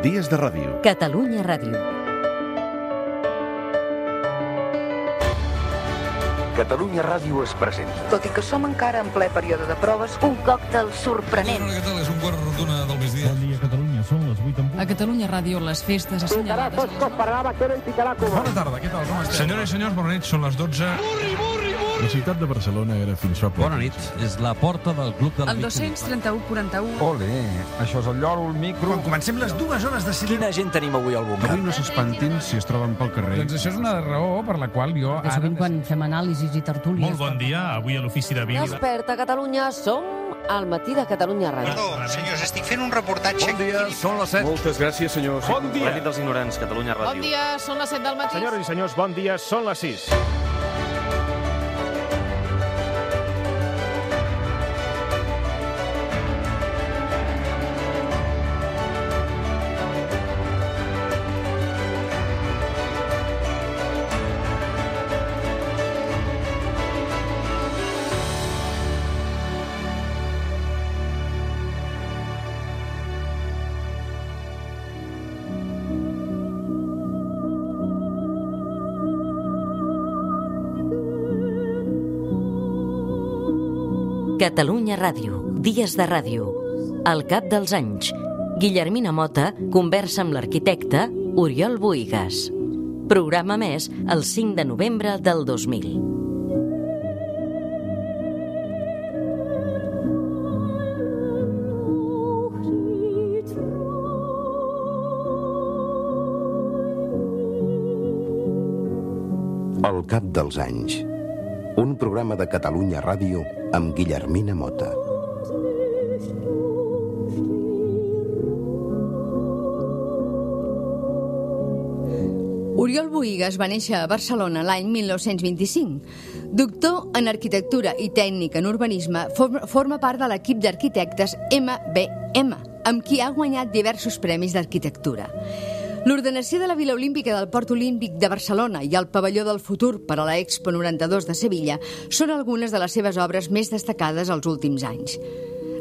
Dies de ràdio. Catalunya Ràdio. Catalunya Ràdio es presenta. Tot i que som encara en ple període de proves, un còctel sorprenent. Què tal? És un quart d'una del migdia. Bon dia, Catalunya. Són les 8 en punt. A Catalunya Ràdio, les festes assenyalades... Bona tarda, què tal? Com esteu? Senyores i senyors, bona nit, són les 12. La ciutat de Barcelona era fins fa poc. Bona nit, és la porta del Club del El 231-41... Ole, això és el lloro, el micro... Quan comencem les 2 hores de cinema... Quina gent tenim avui al bombar? Avui no s'espantin si es troben pel carrer. Doncs això és una raó per la qual jo ara... Sovint quan fem anàlisis i tertúlies... Molt bon dia, avui a l'Ofici de Bíblia. Desperta Catalunya, som al matí de Catalunya Ràdio. Perdó, senyors, estic fent un reportatge... Bon dia, són les 7. Moltes gràcies, senyors. Bon dia. La nit dels ignorants, Catalunya Ràdio. Bon dia, són les 7 del matí. Senyores i senyors, bon dia, són les 6. Catalunya Ràdio. Dies de ràdio. Al cap dels anys, Guillermina Mota conversa amb l'arquitecte Oriol Bohigas. Programa més el 5 de novembre del 2000. Al cap dels anys. Un programa de Catalunya Ràdio amb Guillermina Mota. Oriol Bohigas va néixer a Barcelona l'any 1925. Doctor en arquitectura i tècnic en urbanisme, forma part de l'equip d'arquitectes MBM, amb qui ha guanyat diversos premis d'arquitectura. L'ordenació de la Vila Olímpica del Port Olímpic de Barcelona i el Pavelló del Futur per a la Expo 92 de Sevilla són algunes de les seves obres més destacades als últims anys.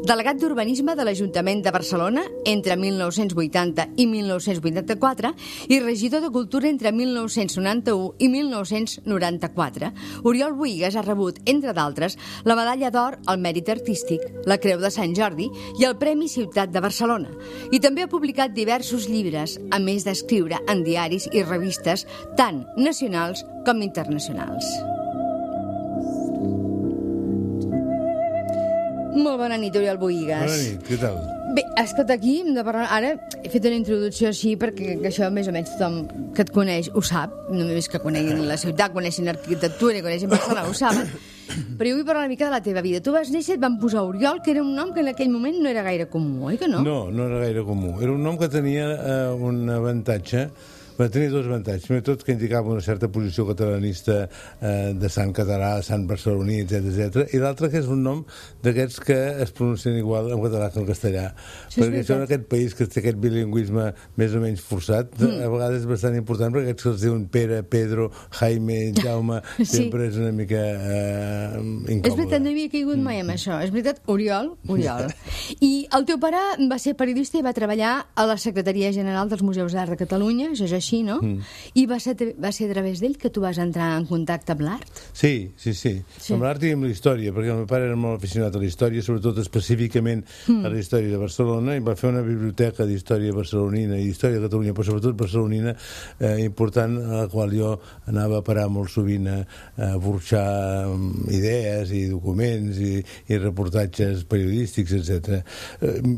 Delegat d'Urbanisme de l'Ajuntament de Barcelona entre 1980 i 1984 i regidor de Cultura entre 1991 i 1994, Oriol Bohigas ha rebut, entre d'altres, la Medalla d'Or al Mèrit Artístic, la Creu de Sant Jordi i el Premi Ciutat de Barcelona. I també ha publicat diversos llibres, a més d'escriure en diaris i revistes tant nacionals com internacionals. Molt bona nit, Oriol Bohigas. Bona nit, què tal? Bé, escolta, aquí hem de parlar... Ara he fet una introducció així perquè això més o menys tothom que et coneix ho sap, no només que coneguin la ciutat, coneixin arquitectura i coneixin Barcelona, ho saben. Però jo vull parlar una mica de la teva vida. Tu vas néixer, et van posar Oriol, que era un nom que en aquell moment no era gaire comú, oi que no? No, no era gaire comú. Era un nom que tenia un avantatge. Va tenir dos avantatges. Primer tot, que indicava una certa posició catalanista de sant català, sant barceloní, etc. I l'altre, que és un nom d'aquests que es pronuncien igual en català que en castellà. Perquè això en aquest país que té aquest bilingüisme més o menys forçat, a vegades és bastant important, perquè aquests que els diuen Pere, Pedro, Jaime, Jaume, sempre és una mica incòmode. És veritat, no havia caigut mai amb això. És veritat, Oriol. I el teu pare va ser periodista i va treballar a la Secretaria General dels Museus d'Art de Catalunya, això és així, no? I va ser a través d'ell que tu vas entrar en contacte amb l'art? Sí. Amb l'art i amb la història, perquè el meu pare era molt aficionat a la història, sobretot específicament a la història de Barcelona, i va fer una biblioteca d'història barcelonina i història de Catalunya, però sobretot barcelonina, important, a la qual jo anava a parar molt sovint a burxar idees i documents i reportatges periodístics, etc.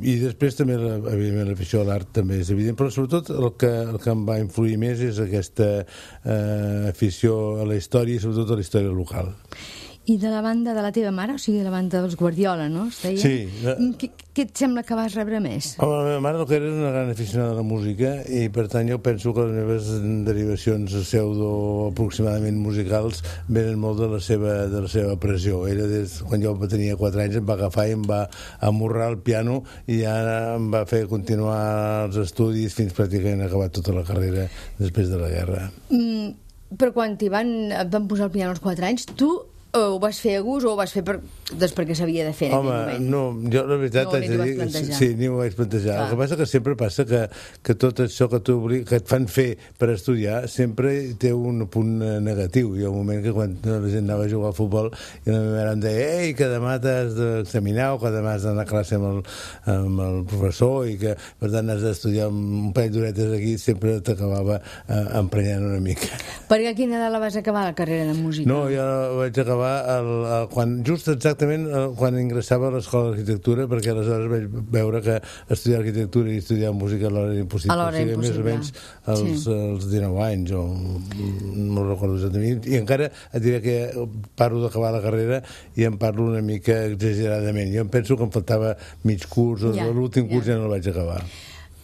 I després també, evidentment, l'afició a l'art també és evident, però sobretot el que em va influir més és aquesta afició a la història i sobretot a la història local. I de la banda de la teva mare, o sigui, de la banda dels Guardiola, no? Sí. Què et sembla que vas rebre més? Home, la meva mare el que era una gran aficionada a la música i per tant jo penso que les meves derivacions pseudo aproximadament musicals venen molt de la seva pressió. Ella quan jo tenia 4 anys em va agafar i em va amorrar el piano i ja em va fer continuar els estudis fins pràcticament acabar tota la carrera després de la guerra. Però quan et van posar el piano als 4 anys, tu ho vas fer a gust o ho vas fer perquè s'havia de fer en aquell moment? Home, jo la veritat No, ni t'ho vas plantejar. sí, ni m'ho vaig plantejar. El que passa que sempre passa que tot això que et fan fer per estudiar sempre té un punt negatiu. Hi ha un moment que quan la gent anava a jugar al futbol i la meva mare em deia ei, que demà t'has d'examinar o que demà has d'anar a classe amb el professor i que per tant has d'estudiar un parell d'horetes aquí, sempre t'acabava emprenyant una mica. Perquè a quina edat la vas acabar, la carrera de música? No, jo vaig acabar just exactament quan ingressava a l'Escola d'Arquitectura, perquè aleshores vaig veure que estudiar arquitectura i estudiar música alhora era impossible. Alhora era impossible. Més o menys als 19 anys, o no recordo exactament. I encara et diré que parlo d'acabar la carrera i em parlo una mica exageradament. Jo em penso que em faltava mig curs, l'últim curs ja no el vaig acabar.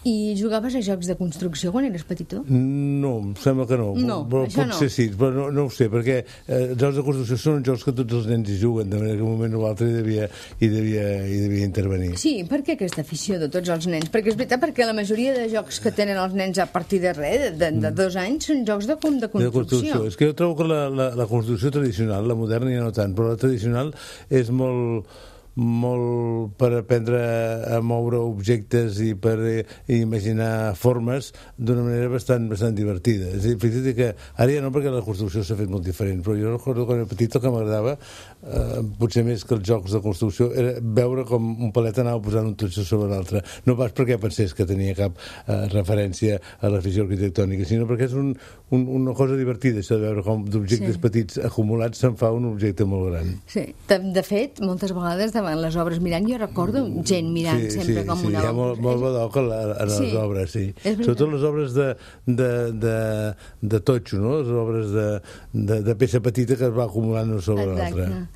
I jugaves a jocs de construcció quan eres petitó? No, em sembla que no. No, això no. Potser sí, però no ho sé, perquè jocs de construcció són jocs que tots els nens hi juguen, de manera que un moment o l'altre hi devia intervenir. Sí, per què aquesta afició de tots els nens? Perquè és veritat, perquè la majoria de jocs que tenen els nens a partir de res, de 2 anys, són jocs de construcció. És que jo trobo que la construcció tradicional, la moderna ja no tant, però la tradicional és molt per aprendre a moure objectes i per imaginar formes d'una manera bastant divertida. És a dir, fixa't que ara ja no, perquè la construcció s'ha fet molt diferent, però jo recordo quan era petit el que m'agradava, potser més que els jocs de construcció, era veure com un palet anava posant un totxo sobre l'altre. No pas perquè pensés que tenia cap referència a l'afició arquitectònica, sinó perquè és una cosa divertida, això de veure com d'objectes petits acumulats se'n fa un objecte molt gran. Sí, de fet, moltes vegades davant les obres mirant, jo recordo gent mirant sempre com una obra. Sí, hi ha molt badoc en les obres, sí. Sobretot les obres de totxo, no? Les obres de peça petita que es va acumulant una sobre l'altra.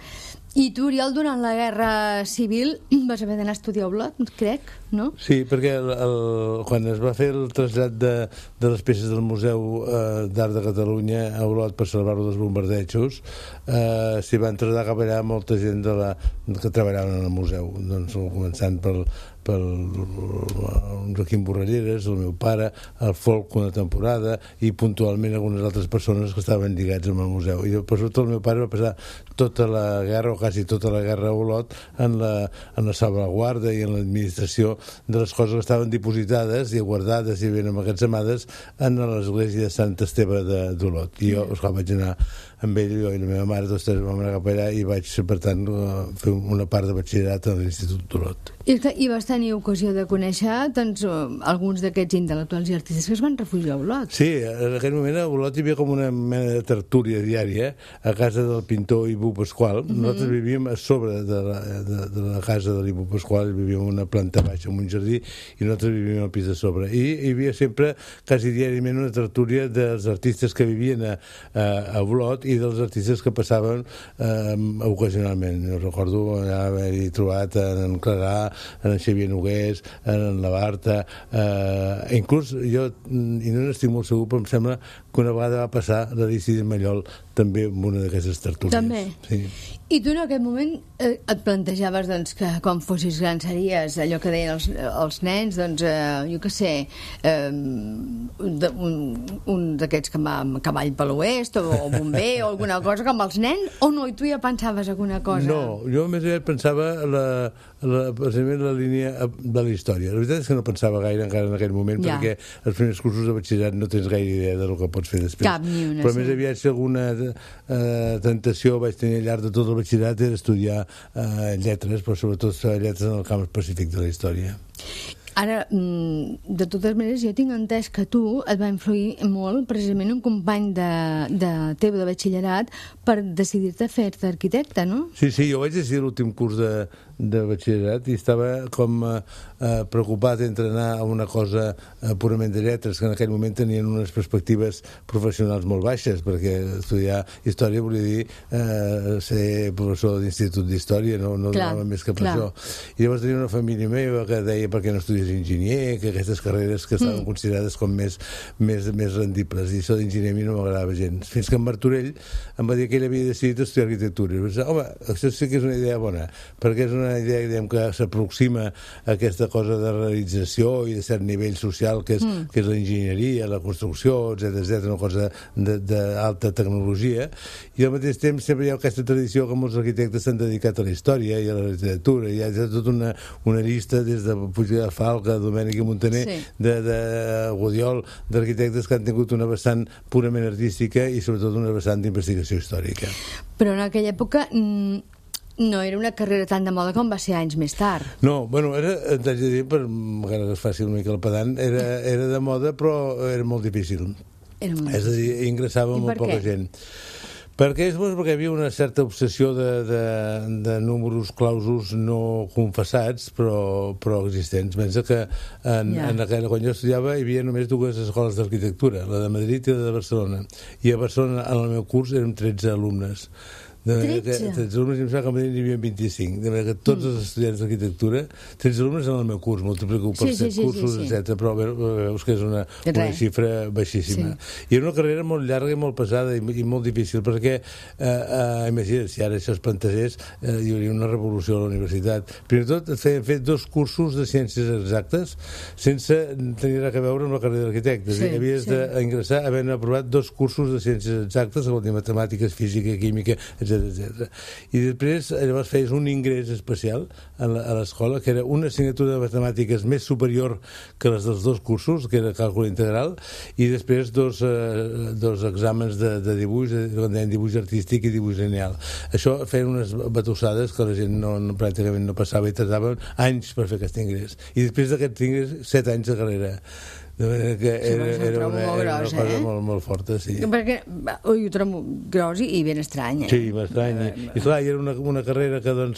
I tu, Oriol, durant la Guerra Civil vas haver d'anar a estudiar a Olot, crec, no? Sí, perquè quan es va fer el trasllat de les peces del Museu d'Art de Catalunya a Olot per salvar-ho dels bombardejos, s'hi van traslladar cap allà molta gent que treballaven en el museu, doncs, començant pel Joaquim Borralleres, el meu pare, el Folk una temporada i puntualment algunes altres persones que estaven lligats amb el museu. I sobretot el meu pare va passar tota la guerra, o quasi tota la guerra a Olot, en la salvaguarda i en l'administració de les coses que estaven dipositades i guardades i ben emmagatzemades en l'església de Sant Esteve d'Olot. I jo, esclar, vaig anar amb ell, jo i la meva mare, tots vam anar cap allà i vaig, per tant, fer una part de batxillerat a l'Institut d'Olot. I vas tenir ocasió de conèixer doncs, alguns d'aquests intel·lectuals i artistes que es van refugiar a Olot. Sí, en aquell moment a Olot hi havia com una mena de tertúlia diària a casa del pintor Ibu Pasqual. Nosaltres vivíem a sobre de la casa de l'Ibu Pasqual, vivíem en una planta baixa, en un jardí, i nosaltres vivíem al pis de sobre. I hi havia sempre, quasi diàriament, una tertúlia dels artistes que vivien a Olot i dels artistes que passaven ocasionalment. Jo recordo haver-hi trobat en Clarà, en Xavier Nogués, en la Barta, inclús jo, i no n'estic molt segur, però em sembla que una vegada va passar l'Aristide Mallol també en una d'aquestes tertúlies. També? Sí. I tu en aquest moment et plantejaves doncs, que quan fossis gran series allò que deien els nens, doncs, jo què sé, un d'aquests que va amb cavall per l'oest o bomber o alguna cosa com els nens, o no? I tu ja pensaves alguna cosa? No, jo més aviat pensava precisament la línia de la història. La veritat és que no pensava gaire encara en aquell moment, perquè els primers cursos de batxillerat no tens gaire idea del que pots fer després. Cap ni una. Però més aviat, si alguna tentació vaig tenir al llarg de tot el batxillerat era estudiar lletres, però sobretot lletres en el camp específic de la història. Ara, de totes maneres, jo tinc entès que tu et va influir molt precisament un company teu de batxillerat per decidir-te a fer-te arquitecte, no? Sí, jo vaig decidir l'últim curs de batxillerat i estava com preocupat entre anar a una cosa purament de lletres, que en aquell moment tenien unes perspectives professionals molt baixes, perquè estudiar història volia dir ser professor d'institut d'història, no donava més que per això. I llavors tenia una família meva que deia per què no estudies és enginyer, que aquestes carreres que estaven considerades com més rendibles, i això d'enginyer a mi no m'agradava gens, fins que en Martorell em va dir que ell havia decidit estudiar arquitectura, i vaig dir, home, això sí que és una idea bona, perquè és una idea, diguem, que s'aproxima a aquesta cosa de realització i de cert nivell social que és l'enginyeria, la construcció, etc, una cosa d'alta tecnologia, i al mateix temps sempre hi ha aquesta tradició que molts arquitectes s'han dedicat a la història i a la literatura, i hi ha tota una llista des de Puig de Falca, Domènech i Montaner, de Gudiol, d'arquitectes que han tingut una vessant purament artística i sobretot una vessant d'investigació històrica. Però en aquella època no era una carrera tan de moda com va ser anys més tard. No, bueno, t'haig de dir, encara que es faci una mica el pedant, era de moda, però era molt difícil. És a dir, ingressava molt poca gent. Perquè hi havia una certa obsessió de números clausos no confessats, però existents. Pensa que quan jo estudiava hi havia només 2 escoles d'arquitectura, la de Madrid i la de Barcelona. I a Barcelona, en el meu curs, érem 13 alumnes. 13 alumnes, em sembla que a Madrid n'hi havia 25, de manera que tots els estudiants d'arquitectura, 13 alumnes en el meu curs, multiplico per 7 cursos, etc. Però veus que és una xifra baixíssima. I era una carrera molt llarga i molt pesada i molt difícil, perquè imagina't, si ara això es plantegés, hi hauria una revolució a la universitat. Primer de tot, feien fet 2 cursos de ciències exactes sense tenir res a veure amb la carrera d'arquitectes. Havies d'ingressar havent aprovat 2 cursos de ciències exactes, vol dir matemàtiques, física, química, etc. I després llavors feies un ingrés especial a l'escola, que era una assignatura de matemàtiques més superior que les dels 2 cursos, que era càlcul integral, i després 2 exàmens de dibuix, dibuix artístic i dibuix lineal. Això feien unes batussades que la gent pràcticament no passava i tardaven anys per fer aquest ingrés. I després d'aquest ingrés, 7 anys de carrera. De manera que era una cosa molt forta, sí. Perquè ho trobo gros i ben estrany, Sí, estrany. I clar, era una carrera que en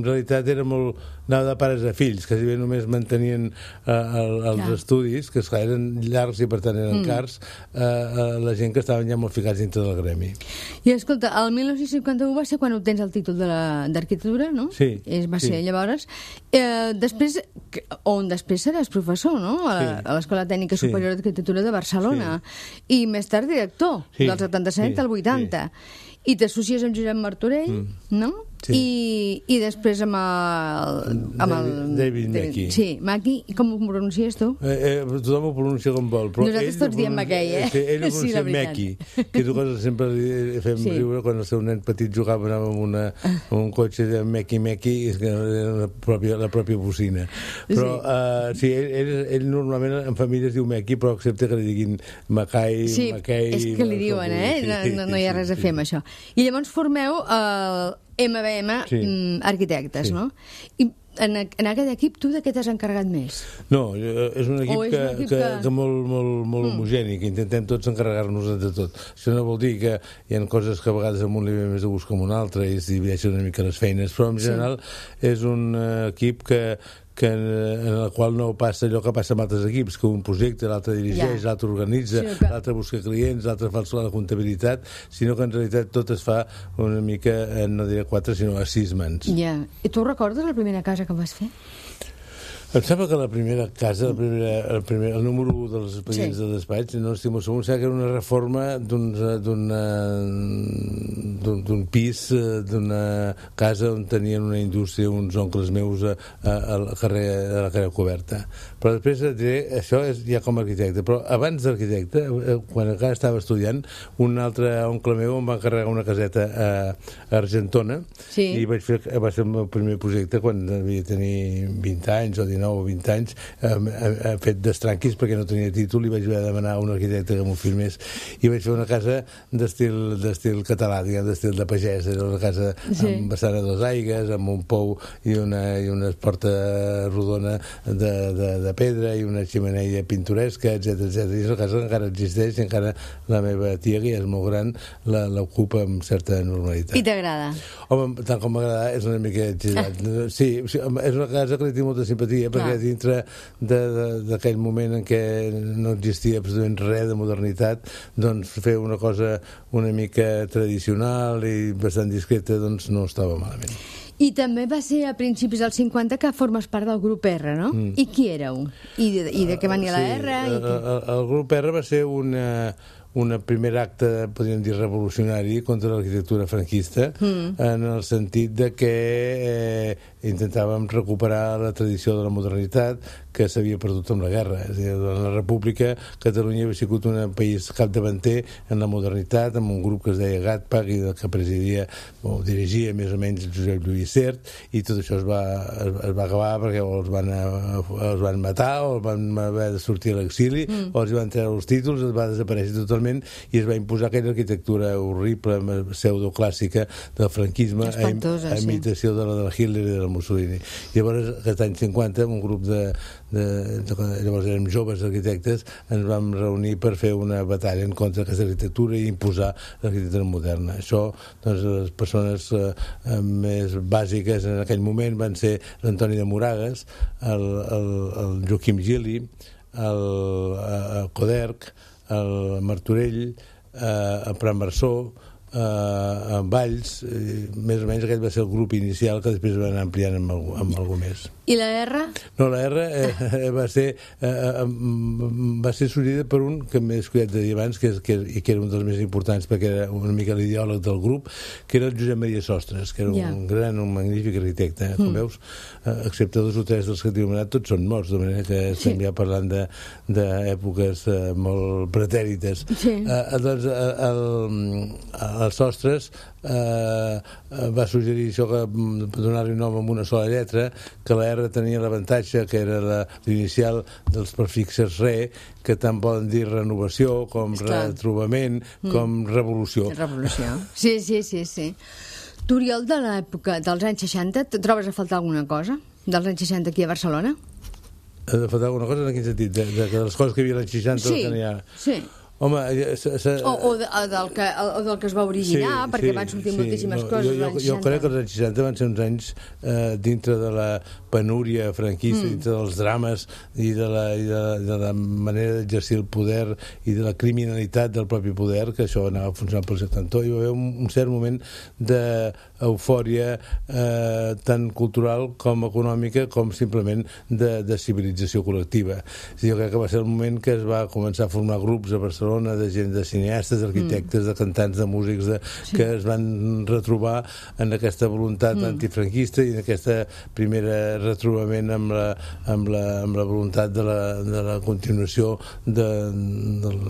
realitat era molt anava de pares a fills, que si bé només mantenien els estudis, que eren llargs i per tant eren cars, la gent que estaven ja molt ficats dintre del gremi. I escolta, el 1951 va ser quan obtens el títol d'arquitectura, no? Sí. Va ser llavors. Després seràs professor, no? A l'Escola Tècnica Superior d'Arquitectura de Barcelona. I més tard director, del 77 al 80. I t'associes amb Josep Martorell, no? I després amb el David Mackey. Sí, Mackey. I com ho pronuncies tu? Tothom ho pronuncia com vol. Nosaltres tots diem Mackey, Ell ho pronuncia Mackey, que és una cosa que sempre fem riure quan el seu nen petit jugava amb un cotxe de Mackey, que era la pròpia bocina. Però ell normalment en família es diu Mackey, però accepta que li diguin Mackay. Sí, és que li diuen, no hi ha res a fer amb això. I llavors formeu el MBM Arquitectes, no? I en aquest equip tu de què t'has encarregat més? No, és un equip que molt homogeni, que intentem tots encarregar-nos de tot. Això no vol dir que hi ha coses que a vegades en un li ve més de gust que en un altre i es divideixen una mica les feines, però en general és un equip en el qual no passa allò que passa amb altres equips, que un projecte, l'altre dirigeix, l'altre organitza, l'altre busca clients, l'altre fa la comptabilitat, sinó que en realitat tot es fa una mica, no diré 4, sinó a 6 mans. I tu recordes la primera casa que vas fer? Em sembla que la primera casa, el número 1 dels expedients de despatx, no estic molt segur, que era una reforma d'un pis, d'una casa on tenien una indústria uns oncles meus a la carrer Coberta. Però després això és ja com a arquitecte. Però abans d'arquitecte, quan encara estava estudiant, un altre oncle meu em va encarregar una caseta a Argentona i va ser el meu primer projecte quan devia tenir 20 anys o 19 o 20 anys, fet d'estranquis perquè no tenia títol i vaig haver de demanar a un arquitecte que m'ho filmés i vaig fer una casa d'estil català, d'estil de pagès. Era una casa amb vessant a 2 aigues, amb un pou i una porta rodona de pedra i una xemeneia pintoresca, etc. I és una casa que encara existeix i encara la meva tia, que ja és molt gran, l'ocupa amb certa normalitat. I t'agrada? Home, tant com m'agrada, és una mica exagerat. Sí, és una casa que li tinc molta simpatia, perquè dintre d'aquell moment en què no existia absolutament res de modernitat, doncs fer una cosa una mica tradicional i bastant discreta doncs no estava malament. I també va ser a principis dels 50 que formes part del grup R, no? I qui éreu? I de què venia la R? El grup R va ser un primer acte, podríem dir, revolucionari contra l'arquitectura franquista, en el sentit de que intentàvem recuperar la tradició de la modernitat que s'havia perdut amb la guerra. És a dir, durant la República, Catalunya havia sigut un país capdavanter en la modernitat, amb un grup que es deia GATPAC i que presidia, o dirigia més o menys Josep Lluís Sert, i tot això es va acabar perquè o els van matar o els van haver de sortir a l'exili o els van treure els títols, es va desaparèixer totalment i es va imposar aquella arquitectura horrible, pseudoclàssica del franquisme, a imitació de la Hitler i de la Mussolini. Llavors, aquest any 50, un grup llavors érem joves arquitectes, ens vam reunir per fer una batalla en contra d'aquesta arquitectura i imposar l'arquitectura moderna. Això, doncs, les persones més bàsiques en aquell moment van ser l'Antoni de Moragas, el Joaquim Gili, el Coderch, el Martorell, el Prat Marçó, en Valls, més o menys aquest va ser el grup inicial que després va anar ampliant amb algú més. I la R? No, la R va ser sorgida per un que m'he descuidat de dir abans que era un dels més importants perquè era una mica l'ideòleg del grup, que era el Josep Maria Sostres, que era un magnífic arquitecte, com veus, excepte 2 o 3 dels que t'he anomenat, tots són morts, de manera que estem ja parlant d'èpoques molt pretèrites. Doncs el Sostres va suggerir això, que donar-li un nom amb una sola lletra, que la R tenia l'avantatge que era l'inicial dels prefixes re, que tant poden dir renovació com retrobament com revolució. Sí. Tu, Oriol, de l'època dels anys 60, trobes a faltar alguna cosa dels anys 60 aquí a Barcelona? A faltar alguna cosa en quin sentit? De les coses que hi havia als 60 que n'hi ha... Sí. Home, o del que es va originar, perquè van sortir moltíssimes coses als anys 60. Jo crec que els anys 60 van ser uns anys dintre de la penúria franquista, dintre dels drames i de la manera d'exercir el poder i de la criminalitat del propi poder, que això anava funcionant pel seu cantó. Hi va haver un cert moment d'eufòria tant cultural com econòmica com simplement de civilització col·lectiva. Jo crec que va ser el moment que es va començar a formar grups a Barcelona de gent, de cineastes, d'arquitectes, de cantants, de músics, que es van retrobar en aquesta voluntat antifranquista i en aquesta primera retrobament amb la voluntat de la continuació de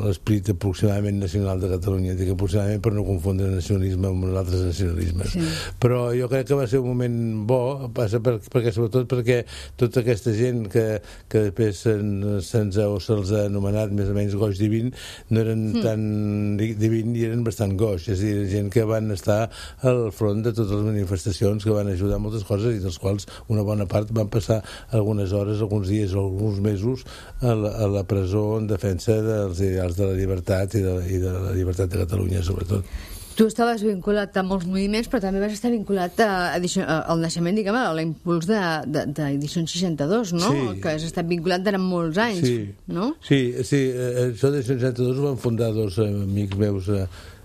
l'esperit aproximadament nacional de Catalunya. Dic aproximadament per no confondre nacionalisme amb altres nacionalismes. Però jo crec que va ser un moment bo, sobretot perquè tota aquesta gent que després se'ls ha anomenat més o menys goig divin, no eren tan divins i eren bastant goix, és a dir, gent que van estar al front de totes les manifestacions, que van ajudar moltes coses i dels quals una bona part van passar algunes hores, alguns dies o alguns mesos a la presó en defensa dels ideals de la llibertat i de la llibertat de Catalunya, sobretot. Tu estaves vinculat a molts moviments, però també vas estar vinculat al naixement, diguem, a l'impuls d'Edició 62, no? Sí. Que has estat vinculat durant molts anys, no? Sí, això d'Edició 62 ho van fundar 2 amics meus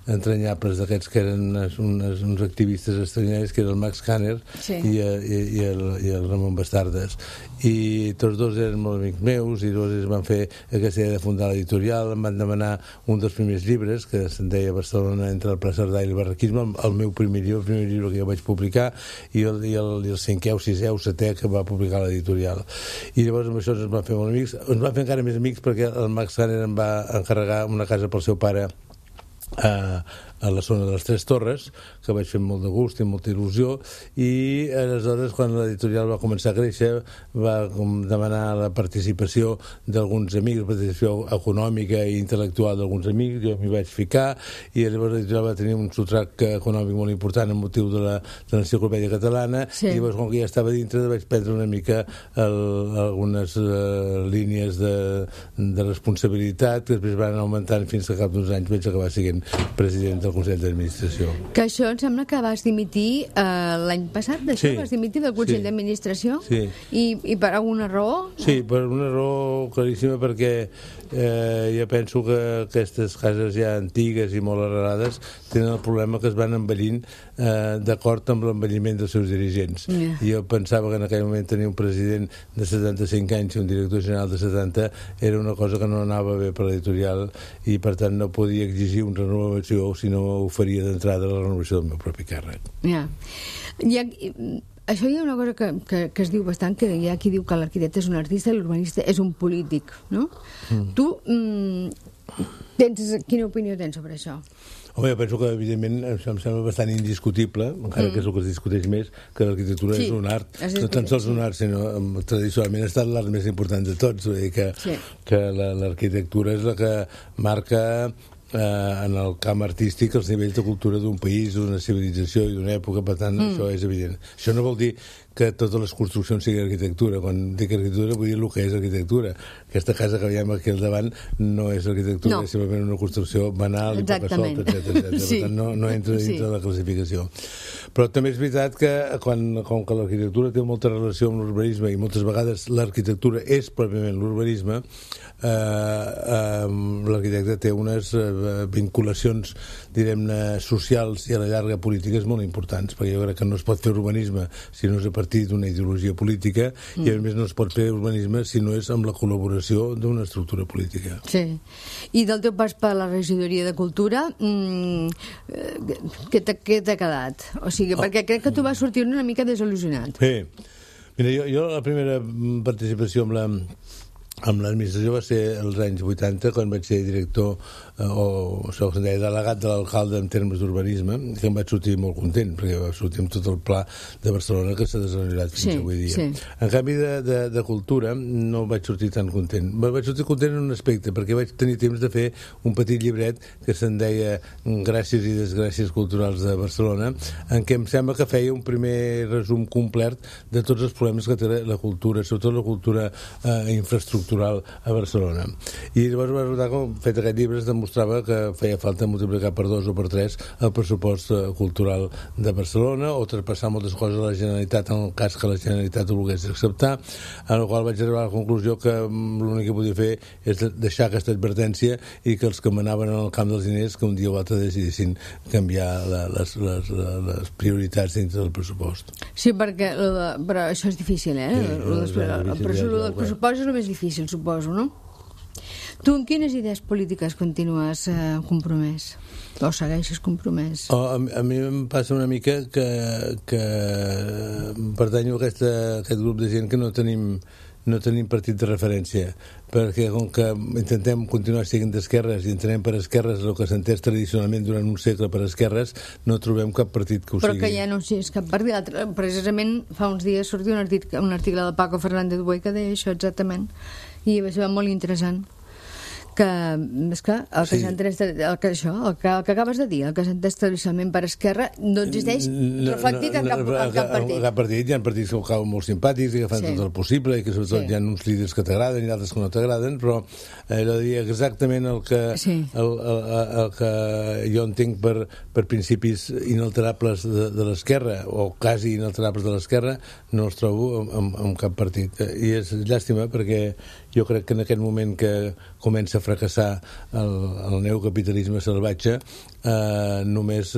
entranyables d'aquests que eren uns activistes estranyaris, que era el Max Kanner i el Ramon Bastardes, i tots 2 eren molt amics meus i ells van fer aquesta idea de fundar l'editorial. Em van demanar un dels primers llibres que se'n deia Barcelona entre el Pla Cerdà i el barraquisme, el meu primer llibre que jo vaig publicar, i el 5è o 6è o 7è que va publicar l'editorial. I llavors amb això ens van fer molt amics, ens van fer encara més amics perquè el Max Kanner em va encarregar una casa pel seu pare a la zona de les Tres Torres, que vaig fer molt de gust i molta il·lusió, i aleshores quan l'editorial va començar a créixer va demanar la participació d'alguns amics, participació econòmica i intel·lectual d'alguns amics, jo m'hi vaig ficar, i llavors l'editorial va tenir un sotrac econòmic molt important amb motiu de l'enciclopèdia catalana, i llavors com que ja estava dintre vaig prendre una mica algunes línies de responsabilitat que després van augmentant fins que al cap d'uns anys vaig acabar sent president del Consell d'Administració. Que això em sembla que vas dimitir l'any passat, d'això? Sí. Vas dimitir del Consell d'Administració? Sí. I per alguna raó? Sí, per una raó claríssima, perquè jo penso que aquestes cases ja antigues i molt arrelades tenen el problema que es van envellint d'acord amb l'envelliment dels seus dirigents. I jo pensava que en aquell moment tenir un president de 75 anys i un director general de 70 era una cosa que no anava bé per l'editorial, i per tant no podia exigir una renovació si no ho faria d'entrada la renovació del meu propi càrrec. Això hi ha una cosa que es diu bastant, que hi ha qui diu que l'arquitecte és un artista i l'urbanista és un polític, no? Tu quina opinió tens sobre això? Home, jo penso que, evidentment, això em sembla bastant indiscutible, encara que és el que es discuteix més, que l'arquitectura és un art. No tan sols un art, sinó tradicionalment ha estat l'art més important de tots. Vull dir que l'arquitectura és la que marca en el camp artístic els nivells de cultura d'un país, d'una civilització i d'una època, per tant, això és evident. Això no vol dir que totes les construccions siguin arquitectura. Quan dic arquitectura vull dir el que és arquitectura. Aquesta casa que veiem aquí al davant no és arquitectura, és simplement una construcció banal i poca solta, etc. Per tant, no entra dins de la classificació. Però també és veritat que com que l'arquitectura té molta relació amb l'urbanisme i moltes vegades l'arquitectura és pròpiament l'urbanisme, l'arquitecte té unes vinculacions, direm-ne, socials i a la llarga polítiques molt importants, perquè jo crec que no es pot fer urbanisme si no és a partir d'una ideologia política, i a més no es pot fer urbanisme si no és amb la col·laboració d'una estructura política. Sí. I del teu pas per la regidoria de Cultura, què t'ha quedat? O sigui, perquè crec que tu vas sortir una mica desil·lusionat. Sí. Mira, jo la primera participació amb l'administració va ser als anys 80, quan vaig ser director o això que se'n deia delegat de l'alcalde en termes d'urbanisme, que em vaig sortir molt content, perquè va sortir amb tot el pla de Barcelona que s'ha desenvolupat fins avui dia. En canvi de cultura no vaig sortir tan content. Vaig sortir content en un aspecte, perquè vaig tenir temps de fer un petit llibret que se'n deia Gràcies i desgràcies culturals de Barcelona, en què em sembla que feia un primer resum complet de tots els problemes que té la cultura, sobretot la cultura infraestructural a Barcelona. I llavors va resultar que, fet aquest llibre, es demostrava que feia falta multiplicar per 2 o per 3 el pressupost cultural de Barcelona, o traspassar moltes coses a la Generalitat en el cas que la Generalitat ho volgués acceptar, en el qual vaig arribar a la conclusió que l'únic que podia fer és deixar aquesta advertència i que els que manaven en el camp dels diners que un dia o altre decidissin canviar les prioritats dintre del pressupost. Sí, però això és difícil, però el pressupost és el més difícil, suposo, no? Tu en quines idees polítiques continues compromès? O segueixes compromès? A mi em passa una mica que pertanyo a aquest grup de gent que no tenim partit de referència, perquè com que intentem continuar sent d'esquerres i entenem per esquerres el que s'ha entès tradicionalment durant un segle per esquerres, no trobem cap partit que ho sigui. Però que ja no és cap partit. Precisament fa uns dies sortia un article de Paco Fernández Buey que deia això exactament, i va ser molt interessant. Que, esclar, el que acabes de dir, el que s'ha entès tradicionalment per esquerra, no existeix reflectit en cap partit. Cap partit. Hi ha partits que ho cauen molt simpàtics i que fan tot el possible i que sobretot hi ha uns líders que t'agraden i altres que no t'agraden, però allò de dir exactament el que jo entenc per principis inalterables de l'esquerra, o quasi inalterables de l'esquerra, no els trobo en cap partit. I és llàstima, perquè jo crec que en aquest moment que comença a fracassar el neocapitalisme salvatge, només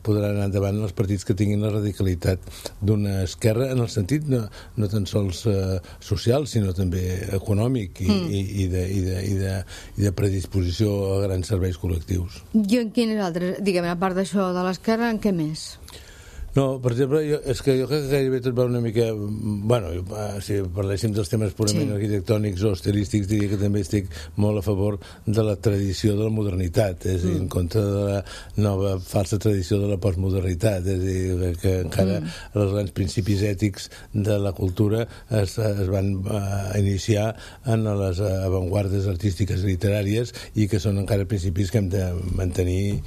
podran anar endavant els partits que tinguin la radicalitat d'una esquerra, en el sentit no tan sols social, sinó també econòmic i de predisposició a grans serveis col·lectius. I en quines altres, diguem, a part d'això de l'esquerra, en què més? No, per exemple, és que jo crec que gairebé tot va una mica... Bueno, si parléssim dels temes purament arquitectònics o estilístics, diria que també estic molt a favor de la tradició de la modernitat, és a dir, en contra de la nova falsa tradició de la postmodernitat, és a dir, que encara els grans principis ètics de la cultura es van iniciar en les avantguardes artístiques i literàries i que són encara principis que hem de mantenir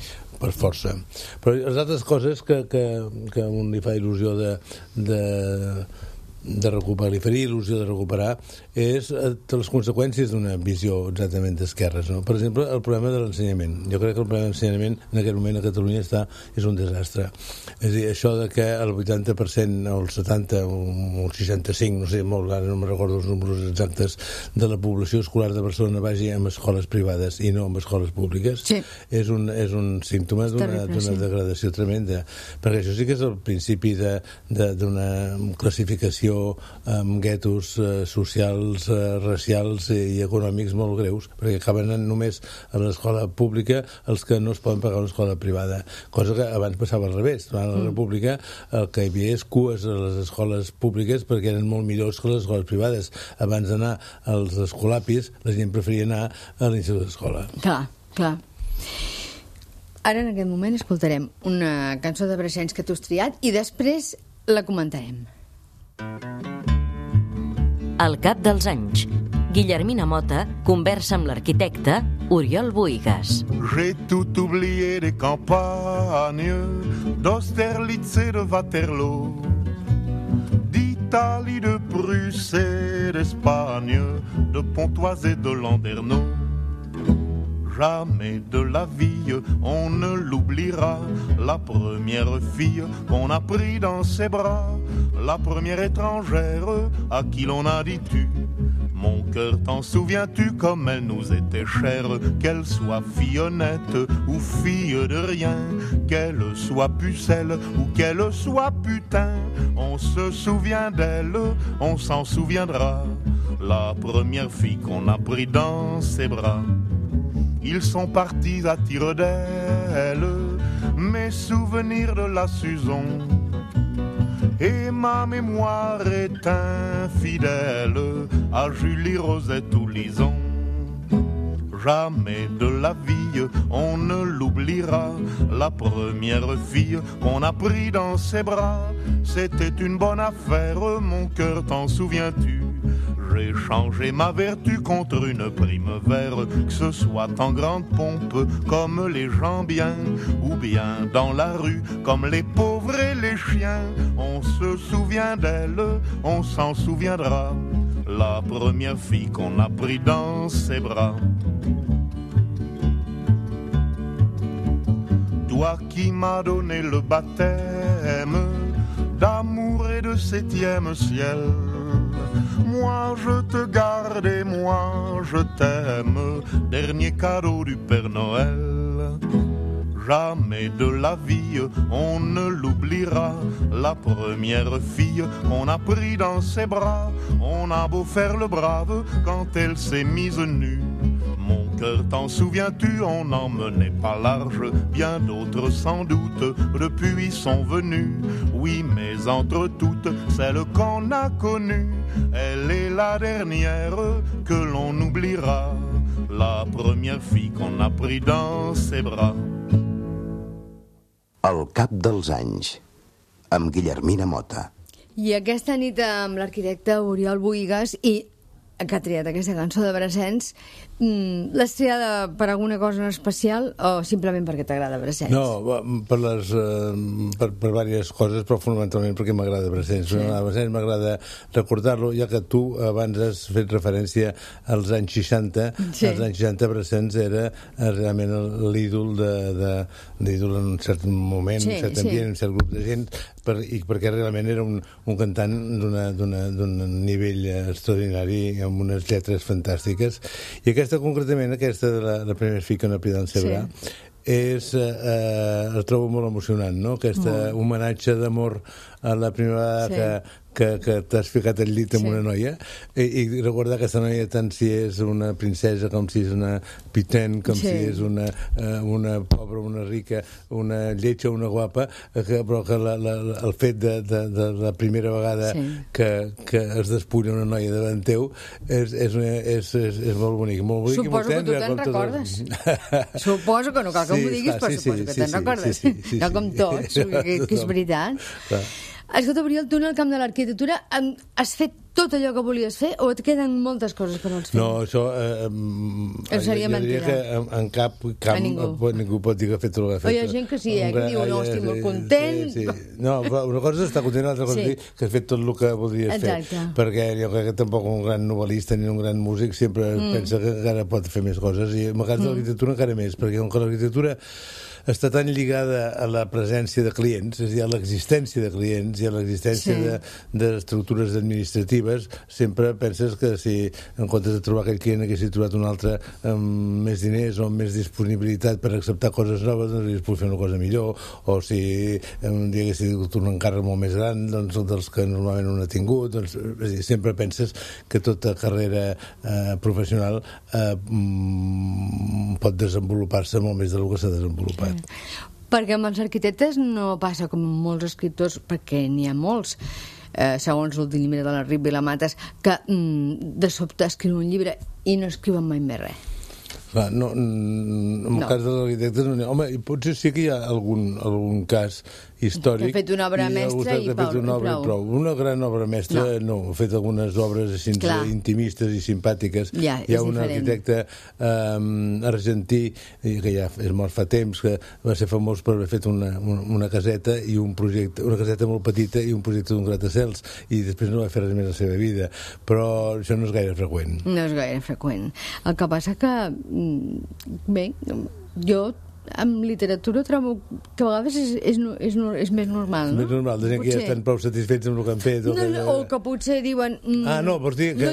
per força. Però les altres coses que a un li fa il·lusió recuperar, li faria il·lusió de recuperar, és les conseqüències d'una visió exactament d'esquerres, no? Per exemple, el problema de l'ensenyament. Jo crec que el problema de l'ensenyament en aquest moment a Catalunya és un desastre. És a dir, això de que el 80% o el 70 o el 65, no sé, molt, ara no me recordo els números exactes, de la població escolar de Barcelona vagi en escoles privades i no en escoles públiques, és un símptoma d'una degradació tremenda, perquè això sí que és el principi d'una classificació amb guetos socials, racials i econòmics molt greus, perquè acaben anant només a l'escola pública els que no es poden pagar una escola privada, cosa que abans passava al revés. Durant la República el que hi havia és cues a les escoles públiques perquè eren molt millors que les escoles privades. Abans d'anar als escolapis la gent preferia anar a l'institut d'escola. Clar. Ara en aquest moment escoltarem una cançó de Brassens que tu has triat i després la comentarem. Al cap dels anys, Guillermina Mota conversa amb l'arquitecte Oriol Bohigas. J'ai tout oublié des campagnes, d'Austerlitz et de Waterloo, d'Italie, de Prusse et d'Espagne, de Pontoise et de Landerneau. Jamais de la vie on ne l'oubliera, la première fille qu'on a pris dans ses bras, la première étrangère à qui l'on a dit tu. Mon cœur, t'en souviens-tu comme elle nous était chère, qu'elle soit fille honnête ou fille de rien, qu'elle soit pucelle ou qu'elle soit putain, on se souvient d'elle, on s'en souviendra, la première fille qu'on a pris dans ses bras. Ils sont partis à tire d'aile, mes souvenirs de la Suzon, et ma mémoire est infidèle à Julie, Rosette ou Lison. Jamais de la vie on ne l'oubliera, la première fille qu'on a pris dans ses bras, c'était une bonne affaire, mon cœur, t'en souviens-tu? J'ai changé ma vertu contre une prime vert, que ce soit en grande pompe comme les gens bien, ou bien dans la rue comme les pauvres et les chiens. On se souvient d'elle, on s'en souviendra, la première fille qu'on a pris dans ses bras. Toi qui m'as donné le baptême d'amour et de septième ciel, moi je te garde et moi je t'aime, dernier cadeau du Père Noël. Jamais de la vie on ne l'oubliera, la première fille qu'on a pris dans ses bras. On a beau faire le brave quand elle s'est mise nue, mon cœur, t'en souviens-tu, on n'en menait pas large, bien d'autres sans doute depuis sont venus. Oui, mais entre toutes, celle qu'on a connue, elle est la dernière que l'on oubliera, la première fille qu'on a pris dans ses bras. Al cap dels anys, amb Guillermina Mota. I aquesta nit amb l'arquitecte Oriol Bohigas i que ha triat aquesta cançó de Brassens, l'has triada per alguna cosa en especial o simplement perquè t'agrada Brassens? No, per diverses coses, però fonamentalment perquè m'agrada Brassens. Sí. A Brassens m'agrada recordar-lo, ja que tu abans has fet referència als anys 60. Sí. Als anys 60 Brassens era realment l'ídol l'ídol en un cert moment, un cert ambient, un cert grup de gent, perquè realment era un cantant d'un nivell extraordinari, amb unes lletres fantàstiques, i aquesta concretament, aquesta de la primera filla que no pida en Cebrà, el trobo molt emocionant, no? Aquest homenatge d'amor a la primera vegada que t'has ficat al llit amb una noia, i recordar aquesta noia tant si és una princesa com si és una pitent, com si és una pobra, una rica, una lletja, una guapa, però que el fet de la primera vegada que es despulla una noia davant teu és molt bonic, molt bonic. Suposo que tu te'n recordes. Suposo que no cal que m'ho diguis, però suposo que te'n recordes. No com tots, que és veritat. Escolta, Oriol, tu en el camp de l'arquitectura has fet tot allò que volies fer o et queden moltes coses per fer? No, això... seria jo diria que en cap camp ningú pot dir que ha fet tot el que ha fet. O hi ha gent que sí, que diu, no, estic molt content... No, una cosa és estar content, l'altra cosa és dir que has fet tot el que volies fer. Perquè jo crec que tampoc un gran novel·lista ni un gran músic sempre pensa que encara pot fer més coses, i en el cas de l'arquitectura encara més, perquè com que l'arquitectura està tan lligada a la presència de clients, és a dir, a l'existència de clients i a l'existència d'estructures administratives, sempre penses que si en comptes de trobar aquell client haguessis trobat un altre amb més diners o amb més disponibilitat per acceptar coses noves, doncs hauries pogut fer una cosa millor, o si un dia haguessis tingut un encàrrec molt més gran dels que normalment un ha tingut, doncs sempre penses que tota carrera professional pot desenvolupar-se molt més del que s'ha desenvolupat. Perquè amb els arquitectes no passa com molts escriptors, perquè n'hi ha molts, segons l'últim llibre de la Rip Vilamatas, que de sobte escriuen un llibre i no escriuen mai més res. Clar, en el cas dels arquitectes no n'hi ha. Home, potser sí que hi ha algun cas històric que ha fet una obra mestra i prou. Una gran obra mestra no, ha fet algunes obres així intimistes i simpàtiques. Hi ha un arquitecte argentí que ja és mort fa temps, que va ser famós per haver fet una caseta i un projecte, una caseta molt petita i un projecte d'un gratacels, i després no va fer res més a la seva vida, però això no és gaire freqüent. No és gaire freqüent. El que passa que bé, jo amb literatura trobo que a vegades és més normal, no? Més normal, de gent que ja estan prou satisfets amb el que han fet. O que potser diuen... no, vols dir que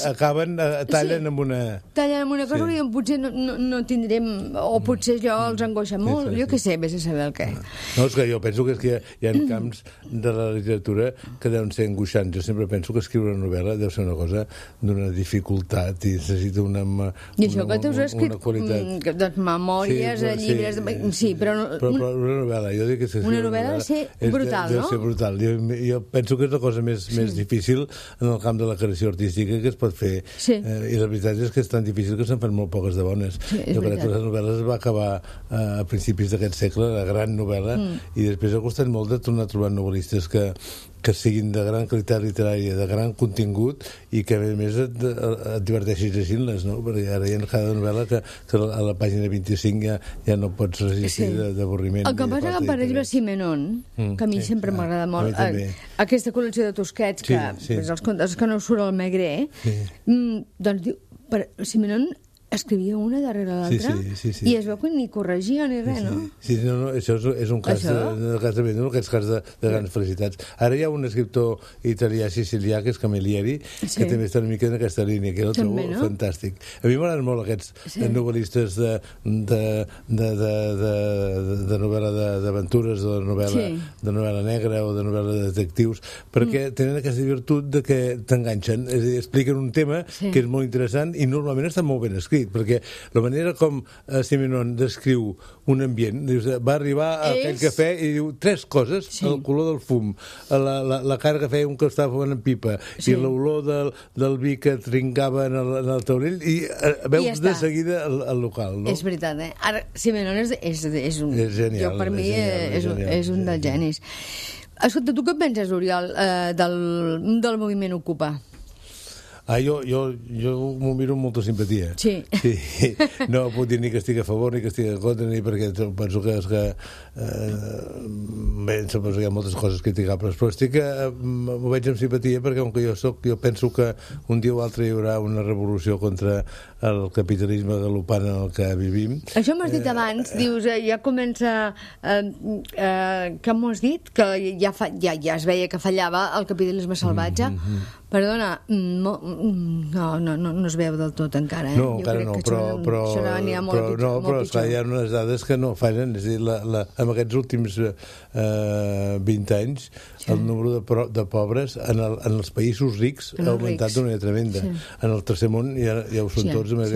acaben, tallen amb una... Tallen amb una cosa i potser no tindrem... O potser allò els angoixa molt, jo què sé, vés a saber el què. No, és que jo penso que hi ha camps de la literatura que deuen ser angoixants. Jo sempre penso que escriure una novel·la deu ser una cosa d'una dificultat i necessita una qualitat. I això que t'has escrit doncs memòries, llibres... Sí, però una novel·la, jo dic que una novel·la ha de ser brutal, no? Deu ser brutal. Jo penso que és la cosa més difícil en el camp de la creació artística que es pot fer. I la veritat és que és tan difícil que se'n fan molt poques de bones. Jo crec que les novel·les va acabar a principis d'aquest segle, la gran novel·la, i després ha costat molt de tornar a trobar novel·listes que siguin de gran qualitat literària, de gran contingut, i que a més et diverteixis llegint-les, no? Perquè ara hi ha cada novel·la que a la pàgina 25 ja no pots resistir d'avorriment. El que passa que, per exemple, Simenon, que a mi sempre m'agrada molt, aquesta col·lecció de Tusquets, que els contes que no surt al Maigret, doncs diu, Simenon escrivia una darrere l'altra i es veu que ni corregia ni res, no? Sí, això és un cas d'aquests cas de grans felicitats. Ara hi ha un escriptor italià sicilià, que és Camilleri, que també està una mica en aquesta línia, que el trobo fantàstic. A mi m'agraden molt aquests novel·listes de novel·la d'aventures, o de novel·la negra o de novel·la de detectius, perquè tenen aquesta virtut de que t'enganxen, és a dir, expliquen un tema que és molt interessant i normalment està molt ben escrit, perquè la manera com Simenon descriu un ambient, va arribar a aquell cafè i diu 3 coses: el color del fum, la cara que feia un que estava fumant en pipa, i l'olor del vi que trincava en el taulell, i veus de seguida el local, no? És veritat, Ara, Simenon és un... genial. Jo, per mi, és un dels genis. Escolta, tu què penses, Oriol, del moviment Ocupa? Jo m'ho miro amb molta simpatia. Sí. No puc dir ni que estic a favor ni que estic en contra, ni perquè penso que suposo que hi ha moltes coses criticables, però m'ho veig amb simpatia, perquè com que jo penso que un dia o altre hi haurà una revolució contra el capitalisme galopant en el que vivim. Això m'has dit abans, dius, ja comença... Què m'ho has dit? Que ja es veia que fallava el capitalisme salvatge. Perdona, no es veu del tot encara. No, encara no, però hi ha unes dades que no fallen. És a dir, en aquests últims 20 anys el número de pobres en els països rics ha augmentat d'una manera tremenda. En el tercer món ja ho són tots, una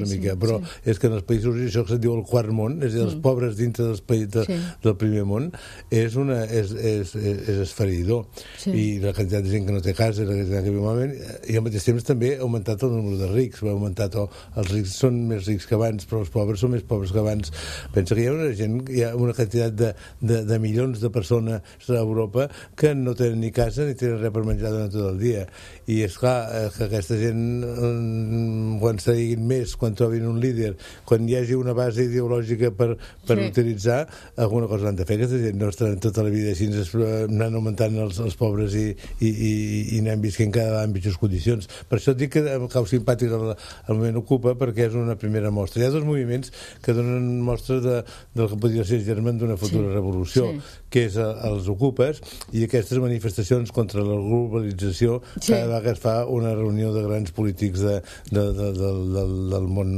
mica, però és que en els països rics, això que se'n diu el quart món, és a dir, els pobres dintre del primer món, és esfereïdor. I la quantitat de gent que no té casa, la quantitat que viu malament, i al mateix temps també ha augmentat el número de rics, els rics són més rics que abans, però els pobres són més pobres que abans. Pensa que hi ha una quantitat de milions de persones a Europa que no tenen ni casa ni tenen res per menjar durant tot el dia. I és clar que aquesta gent, quan se diguin més, quan trobin un líder, quan hi hagi una base ideològica per utilitzar, alguna cosa han de fer. Aquesta gent no estaran tota la vida així anant augmentant els pobres i anant visquent cada vegada en pitjors condicions. Per això et dic que em cau simpàtic el moviment Ocupa, perquè és una primera mostra. Hi ha dos moviments que donen mostra del que podria ser germen d'una futura revolució, que és els Ocupes i aquestes manifestacions contra la globalització cada vegada que es fa una reunió de grans polítics del món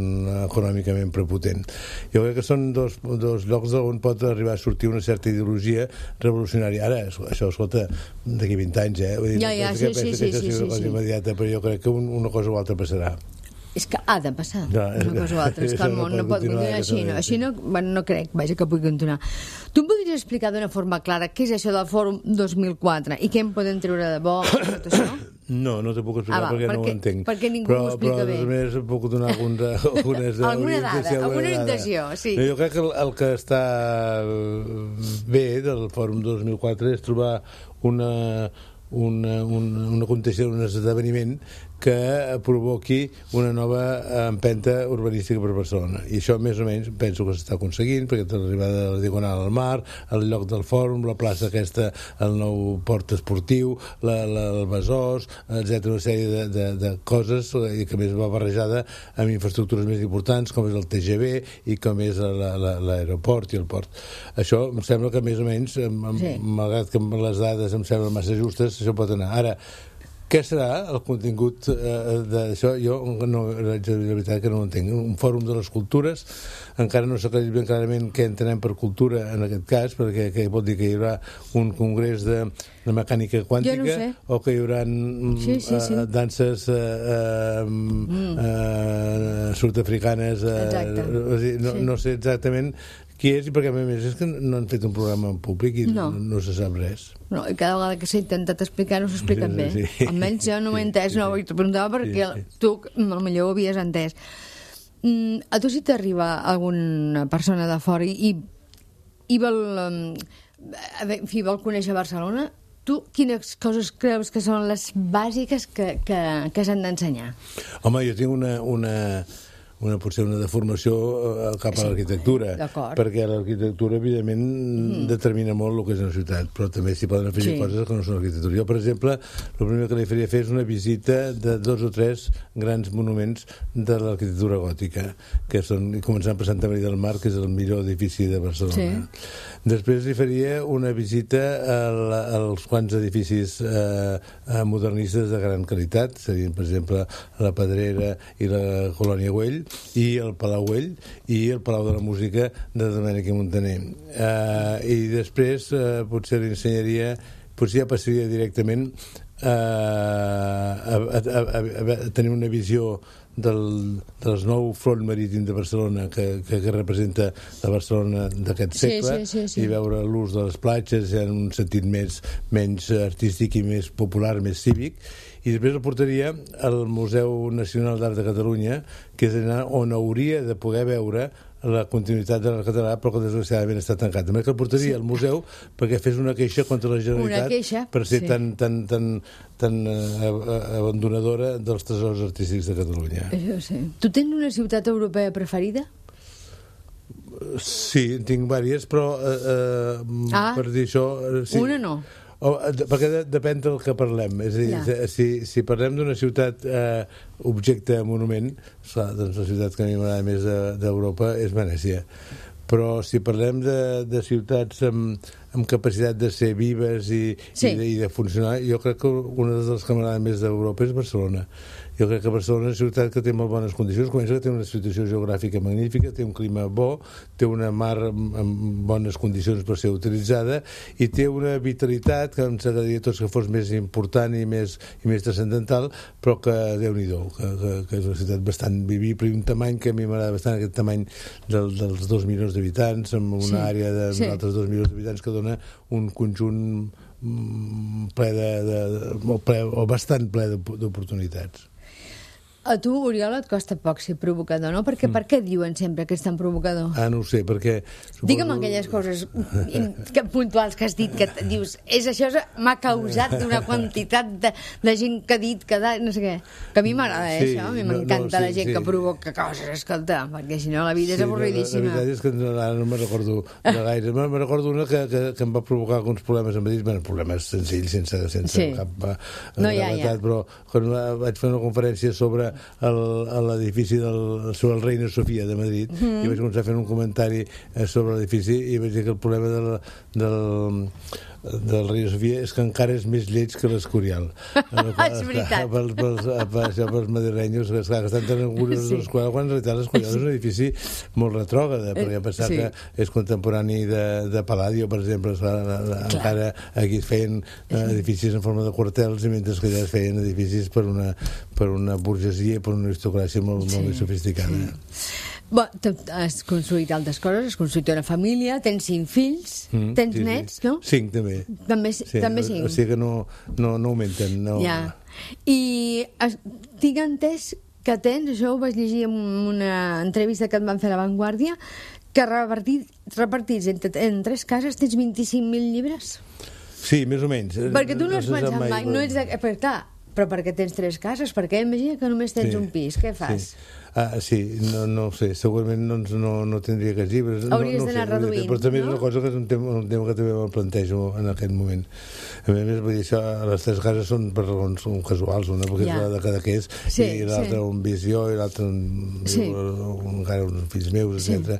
econòmicament prepotent. Jo crec que són dos llocs on pot arribar a sortir una certa ideologia revolucionària. Ara, això, escolta, d'aquí 20 anys, vull dir, penso que això sigui una cosa immediata, però jo crec que una cosa o altra passarà. És que ha de passar una cosa o altra, és que el món no pot continuar així no crec, que pugui continuar. Tu em podries explicar d'una forma clara què és això del Fòrum 2004 i què en podem treure de bo tot això? No te puc explicar perquè no ho entenc. Perquè ningú ho explica bé. Però a més puc donar alguna dada, alguna orientació, sí. Jo crec que el que està bé del Fòrum 2004 és trobar un esdeveniment que provoqui una nova empenta urbanística per Barcelona. I això més o menys penso que s'està aconseguint, perquè l'arribada de la Diagonal al mar, el lloc del fòrum, la plaça aquesta, el nou port esportiu, el Besòs, etc., una sèrie de coses, i que més va barrejada amb infraestructures més importants, com és el TGV i com és l'aeroport i el port. Això em sembla que més o menys, malgrat que les dades em semblen massa justes, això pot anar. Ara, què serà el contingut d'això? Jo, la veritat que no ho entenc. Un fòrum de les cultures, encara no s'ha aclarit ben clarament què entenem per cultura en aquest cas, perquè vol dir que hi haurà un congrés de mecànica quàntica o que hi haurà danses sud-africanes, no sé exactament qui és, i perquè a més és que no han fet un programa en públic i no se sap res. No, i cada vegada que s'ha intentat explicar no s'ha explicat bé. Almenys jo no ho he entès, no ho preguntava perquè tu potser ho havies entès. A tu si t'arriba alguna persona de fora i vol conèixer Barcelona, tu quines coses creus que són les bàsiques que s'han d'ensenyar? Home, jo tinc potser una deformació cap a l'arquitectura, perquè l'arquitectura evidentment determina molt el que és una ciutat, però també s'hi poden afegir coses que no són arquitectura. Jo, per exemple, el primer que li faria fer és una visita de 2 o 3 grans monuments de l'arquitectura gòtica, que són, començant per Santa Maria del Mar, que és el millor edifici de Barcelona. Després li faria una visita als quants edificis modernistes de gran qualitat, serien, per exemple, la Pedrera i la Colònia Güell, i el Palau Güell i el Palau de la Música de Domènech i Montaner. I després potser li ensenyaria, potser ja passaria directament a tenir una visió del nou front marítim de Barcelona que representa la Barcelona d'aquest segle i veure l'ús de les platges en un sentit menys artístic i més popular, més cívic. I després el portaria al Museu Nacional d'Art de Catalunya, que és on hauria de poder veure la continuïtat de l'art català, però que desgraciadament està tancat. També que el portaria al museu perquè fes una queixa contra la Generalitat per ser tan abandonadora dels tresors artístics de Catalunya. Tu tens una ciutat europea preferida? Sí, en tinc diverses, però per dir això... Una no. Perquè depèn del que parlem. És a dir, si parlem d'una ciutat objecte monument, doncs la ciutat que a mi m'agrada més d'Europa és Venècia. Però si parlem de ciutats amb capacitat de ser vives i de funcionar, jo crec que una de les que m'agrada més d'Europa és Barcelona. Jo crec que Barcelona és una ciutat que té molt bones condicions, comença que té una situació geogràfica magnífica, té un clima bo, té una mar amb bones condicions per ser utilitzada i té una vitalitat que ens agradaria tots que fos més important i més transcendental, però que Déu-n'hi-do, que és una ciutat bastant vivible i un tamany que a mi m'agrada bastant, aquest tamany dels 2 milions d'habitants, amb una àrea d'altres 2 milions d'habitants que dona un conjunt ple o bastant ple d'oportunitats. A tu, Oriol, et costa poc ser provocador, no? Perquè per què diuen sempre que és tan provocador? No ho sé, perquè... Digue'm aquelles coses puntuals que has dit, que dius, això m'ha causat una quantitat de gent que ha dit, no sé què. Que a mi m'agrada, això, a mi m'encanta la gent que provoca coses, escolta, perquè si no la vida és avorridíssima. La veritat és que ara no me'n recordo de gaire. Me'n recordo una que em va provocar alguns problemes a Madrid, problemes senzills, sense cap gravetat, però quan vaig fer una conferència sobre l'edifici sobre el Reina Sofia de Madrid i vaig començar a fer un comentari sobre l'edifici i vaig dir que el problema del Reina Sofia és que encara és més lleig que l'Escorial. És veritat. Pels madrilenyos que estan tan orgullosos de l'Escorial, quan en realitat l'Escorial és un edifici molt retrògrad, perquè pensar que és contemporani de Palladio, per exemple, encara aquí es feien edificis en forma de quartels, i mentre que allà es feien edificis per una burgesia i per una aristocràcia molt més sofisticada. Has construït altres coses, has construït una família, tens 5 fills, tens nets, no? 5, també. També 5. O sigui que no augmenten. Ja. I tinc entès que tens, això ho vaig llegir en una entrevista que et van fer a La Vanguardia, que repartits en 3 cases tens 25.000 llibres? Sí, més o menys. Perquè tu no has pensat mai, no ets però perquè tens 3 cases, perquè imagina que només tens un pis, què fas? Sí, no ho sé, segurament no tindria aquests llibres. Hauries d'anar reduint, però també és una cosa que és un tema que també me'l plantejo en aquest moment. A més, vull dir, això, les 3 cases són per raons casuals, una perquè és la de Cadaqués i l'altra un visió i l'altra encara uns fills meus, etc.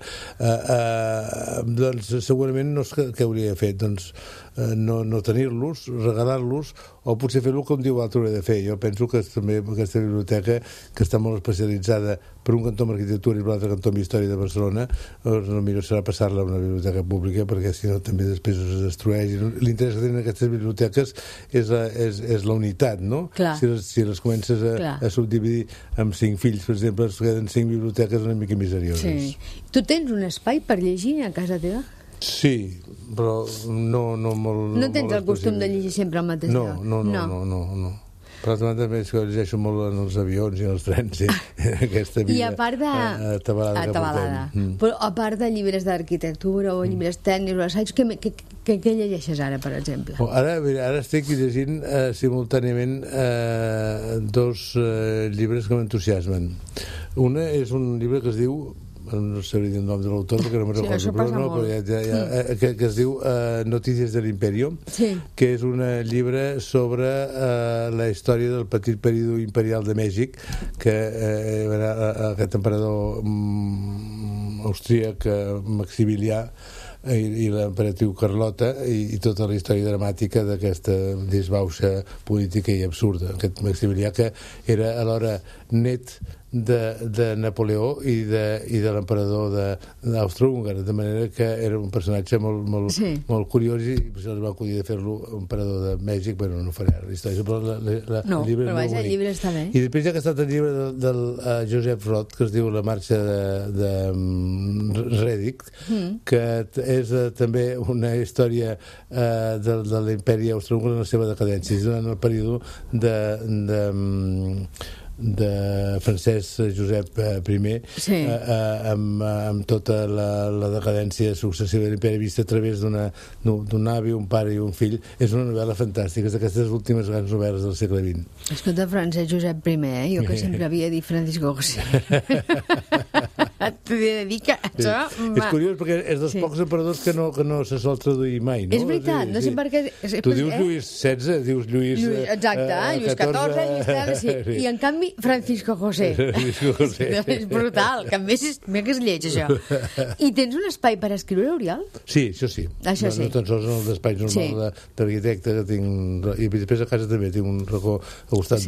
Doncs segurament no és què hauria fet, doncs no tenir-los, regalar-los, o potser fer-lo com diu l'altre hauria de fer. Jo penso que també aquesta biblioteca, que està molt especialitzada per un cantó en arquitectura i per l'altre cantó en història de Barcelona, el millor serà passar-la a una biblioteca pública, perquè si no també després es destrueix. L'interès que tenen aquestes biblioteques és la unitat, no? Si les comences a subdividir amb 5 fills, per exemple, es queden 5 biblioteques una mica miserioses. Tu tens un espai per llegir a casa teva? Sí, però no molt... No tens el costum de llegir sempre al mateix lloc? No. Però també és que llegeixo molt en els avions i en els trens, aquesta vida. I a part de... Atabalada que portem. Però a part de llibres d'arquitectura o llibres tècnics o assaigs, què llegeixes ara, per exemple? Ara estic llegint simultàniament 2 llibres que m'entusiasmen. Una és un llibre que es diu, no sabria dir el nom de l'autor perquè no me'n recordo, que es diu Notícies de l'Imperio, que és un llibre sobre la història del petit període imperial de Mèxic, que aquest emperador austríac Maximilià i l'emperatriu Carlota i tota la història dramàtica d'aquesta disbauxa política i absurda. Aquest Maximilià, que era alhora net de Napoleó i de l'emperador d'Austro-Húngara, de manera que era un personatge molt curiós, i per això es va acudir de fer-lo emperador de Mèxic. Bueno, no faré la història, però el llibre és molt bonic. El llibre està bé. I després hi ha aquest llibre del Joseph Roth, que es diu La marxa de Redick, que és també una història de l'imperi austro-húngara en la seva decadència. És durant el període de Francesc Josep I, amb tota la decadència successiva de l'imperi vista a través d'un avi, un pare i un fill. És una novel·la fantàstica, és d'aquestes últimes grans novel·les del segle XX. Escolta, Francesc Josep I, jo que sempre havia dit Francisco José. T'he de dir que això... És curiós perquè és dels pocs emperadors que no se sol traduir mai, no? És veritat, no sé per què... Tu dius Lluís XVI, dius Lluís... Exacte, Lluís XIV, Lluís XIII, i en canvi Francisco José. És brutal, que a més és lleig, això. I tens un espai per escriure, Oriol? Sí, això sí. Això sí. No tan sols en el despatx normal d'arquitecte que tinc... I després a casa també tinc un racó al costat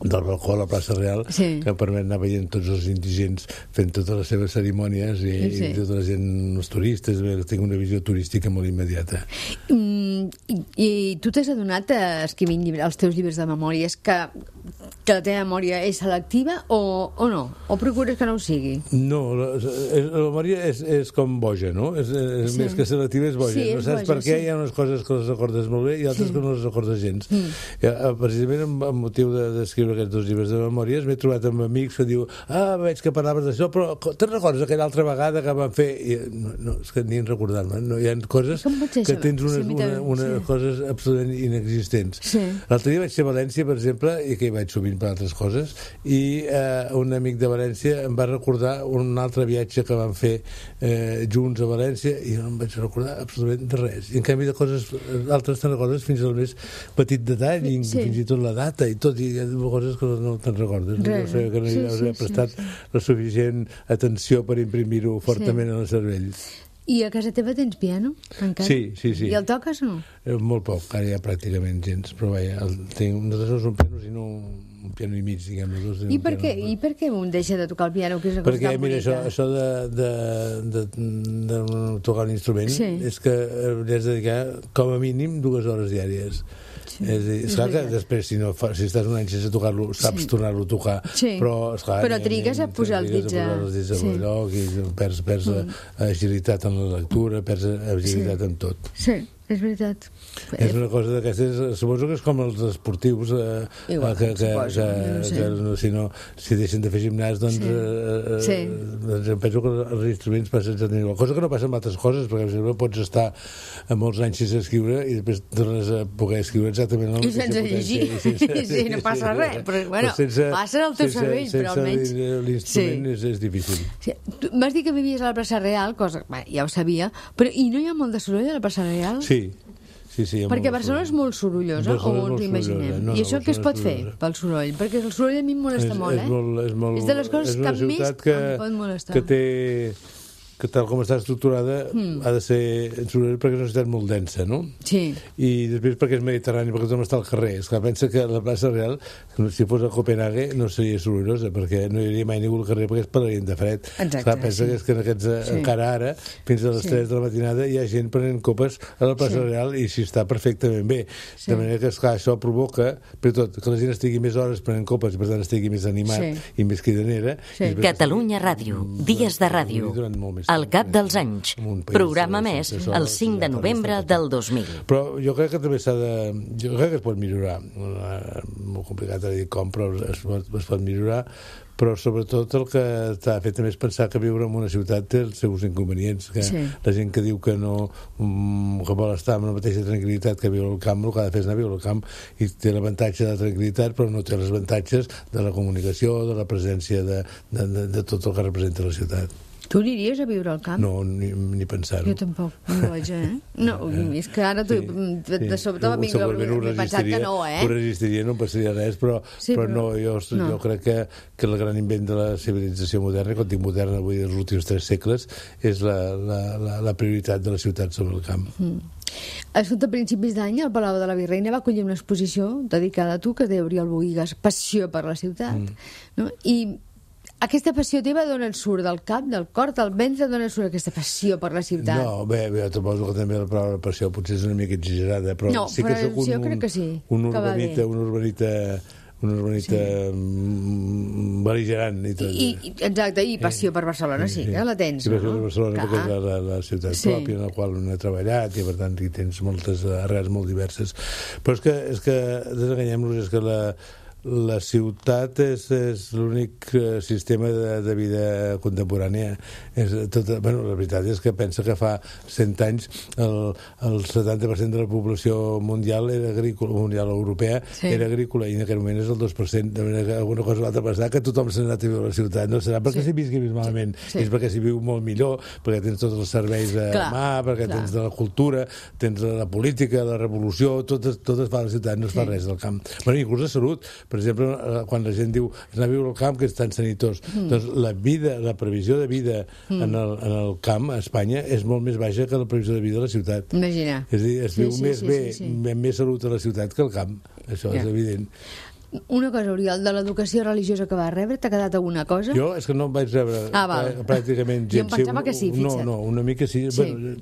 del balcó a la plaça Real, que em permet anar veient tots els indigents fent totes les seves cerimònies i tota la gent, els turistes. Tinc una visió turística molt immediata. I tu t'has adonat, escrivint els teus llibres de memòries, que la teva memòria és selectiva o no? O procures que no ho sigui? No, la memòria és com boja, no? Més que selectiva és boja. No saps per què hi ha unes coses que les recordes molt bé i altres que no les recordes gens. Precisament amb motiu d'escriure aquests dos llibres de memòries m'he trobat amb amics que diu veig que parlaves d'això, però te'n recordes aquella altra vegada que vam fer? No, és que ni en recordar-me. Hi ha coses que tens unes coses absolutament inexistents. L'altre dia vaig ser a València, per exemple, i que hi vaig sovint per altres coses, i un amic de València em va recordar un altre viatge que vam fer junts a València i no em vaig recordar absolutament de res. I en canvi de coses altres te'n recordes fins al més petit detall, i fins i tot la data i tot, i hi ha coses que no te'n recordes. No sé que no hi hauria prestat la suficient atenció per imprimir-ho fortament en el cervell. I a casa teva tens piano, encara? Sí. I el toques o no? Molt poc, ara ja pràcticament gens, però vaja, nosaltres no som pianos, sinó un piano i mig, diguem. I per què un deixa de tocar el piano, que és una cosa tan bonica? Perquè, mira, això de tocar un instrument és que li has de dedicar com a mínim 2 hores diàries. És clar que després, si estàs un any sense tocar-lo, saps tornar-lo a tocar, però trigues a posar els dits a lloc i perds agilitat en la lectura, perds agilitat en tot. Sí, és veritat. És una cosa d'aquestes, suposo que és com els esportius si deixen de fer gimnàs, doncs penso que els instruments passen exactament igual, cosa que no passa amb altres coses, perquè per exemple pots estar molts anys sense escriure i després tornes a poder escriure exactament i sense llegir, sí, no passa res, però bueno, passa al teu cervell, però almenys l'instrument és difícil. M'has dit que vivies a la plaça Real, cosa ja ho sabia, però i no hi ha molt de soroll a la plaça Real? Sí, perquè Barcelona és molt sorollosa, o ens imaginem. I això què es pot fer pel soroll? Perquè el soroll a mi em molesta molt, És de les coses que més em pot molestar. Que tal com està estructurada ha de ser soroll perquè és una ciutat molt densa, no? Sí. I després perquè és mediterrani, perquè tothom està al carrer. Esclar, pensa que la plaça Real, si fos a Copenhague, no seria sorollosa, perquè no hi hauria mai ningú al carrer, perquè es parlarien de fred. Esclar, pensa que és que encara ara, fins a les 3 de la matinada, hi ha gent prenent copes a la plaça Real i s'hi està perfectament bé. De manera que, esclar, això provoca, per tot, que la gent estigui més hores prenent copes i per tant estigui més animat i més cridanera. Catalunya Ràdio, Dies de Ràdio. Al cap dels anys. Programa més el 5 de novembre del 2000. Però jo crec que també jo crec que es pot millorar. Molt complicat de dir com, però es pot millorar. Però sobretot el que t'ha fet també és pensar que viure en una ciutat té els seus inconvenients, que la gent que diu que vol estar amb la mateixa tranquil·litat que viu al camp, el que ha de fer és anar a viure al camp i té l'avantatge de la tranquil·litat, però no té els avantatges de la comunicació, de la presència de tot el que representa la ciutat. Tu aniries a viure al camp? No, ni pensar-ho. Jo tampoc, no vaig, No, és que ara de sobte m'he pensat que no, Ho resistiria, no passaria res, però no, jo crec que el gran invent de la civilització moderna, quan dic moderna, vull dir els últims 3 segles, és la prioritat de la ciutat sobre el camp. Escolta, a principis d'any el Palau de la Virreina va acollir una exposició dedicada a tu, que es deia Oriol Bohigas, Passió per la ciutat. I aquesta passió teva d'on et surt? Del cap, del cor, del ventre? D'on et surt aquesta passió per la ciutat? No, bé, jo suposo que també la paraula passió potser és una mica exagerada, però sí que soc un urbanita bel·ligerant i tot. Exacte, i passió per Barcelona, sí, que la tens. I passió per Barcelona perquè és la ciutat pròpia en la qual he treballat i per tant hi tens moltes arrels molt diverses. Però és que desenganyem-nos, és que la ciutat és l'únic sistema de vida contemporània. La veritat és que pensa que fa 100 anys el 70% de la població mundial era agrícola, mundial europea, era agrícola, i en aquell moment és el 2%, de manera que alguna cosa va passar, que tothom s'ha anat a viure a la ciutat. No serà perquè s'hi visqui malament, és perquè s'hi viu molt millor, perquè tens tots els serveis de mà, perquè tens de la cultura, tens de la política, la revolució, tot es fa a la ciutat, no es fa res del camp. Inclús la salut. Per exemple, quan la gent diu anar a viure al camp, que és tan sanitós, doncs la previsió de vida en el camp a Espanya és molt més baixa que la previsió de vida a la ciutat. Imagina. És a dir, es viu més bé, amb més salut a la ciutat que al camp. Això és evident. Una cosa, Oriol, de l'educació religiosa que vas rebre, t'ha quedat alguna cosa? Jo és que no em vaig rebre pràcticament gens. Jo em pensava que sí, fixa't. No, una mica sí. Bueno,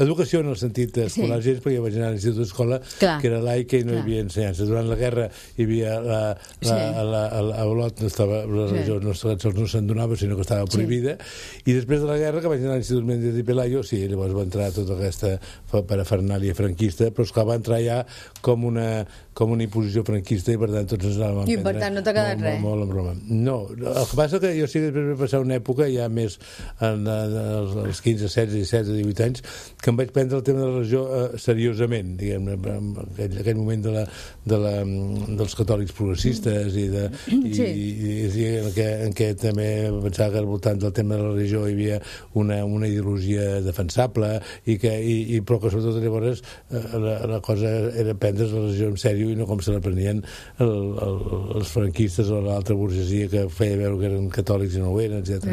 educació en el sentit escolar gens, perquè vaig anar a l'institut d'escola, que era laica i no hi havia ensenyances. Durant la guerra hi havia a Olot la religió no se'n donava, sinó que estava prohibida, i després de la guerra, que vaig anar a l'Institut Méndez i Pelayo, sí, llavors va entrar tota aquesta parafernàlia franquista, però esclar, va entrar ja com una imposició franquista i per tant tots ens anàvem a prendre. I per tant no t'ha quedat res? Molt en broma. No, el que passa que jo sí que després vaig passar una època ja més als 15, 16, 17, 18 anys que em vaig prendre el tema de la religió seriosament, diguem-ne, en aquell moment dels catòlics progressistes en què també pensava que al voltant del tema de la religió hi havia una ideologia defensable però que sobretot llavors la cosa era prendre la religió en sèrio i no com se la prenien els franquistes o l'altra burgesia que feia veure que eren catòlics i no ho eren, etc.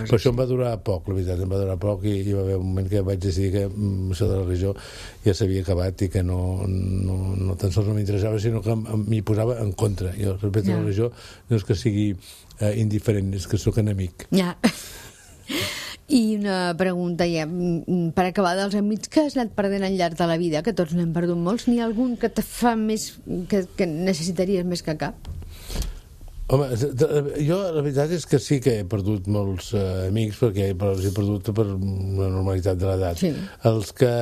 Però això em va durar poc, la veritat, em va durar poc i hi va haver un moment que vaig decidir que això de la religió ja s'havia acabat i que no tan sols no m'interessava, sinó que m'hi posava en contra. Jo respecte a la religió no és que sigui indiferent, és que sóc enemic. Ja. I una pregunta ja, per acabar, dels amics que has anat perdent al llarg de la vida, que tots n'hem perdut molts, n'hi ha algun que te fa més, que necessitaries més que cap? Home, jo la veritat és que sí que he perdut molts amics, però els he perdut per una normalitat de l'edat. Sí. Els que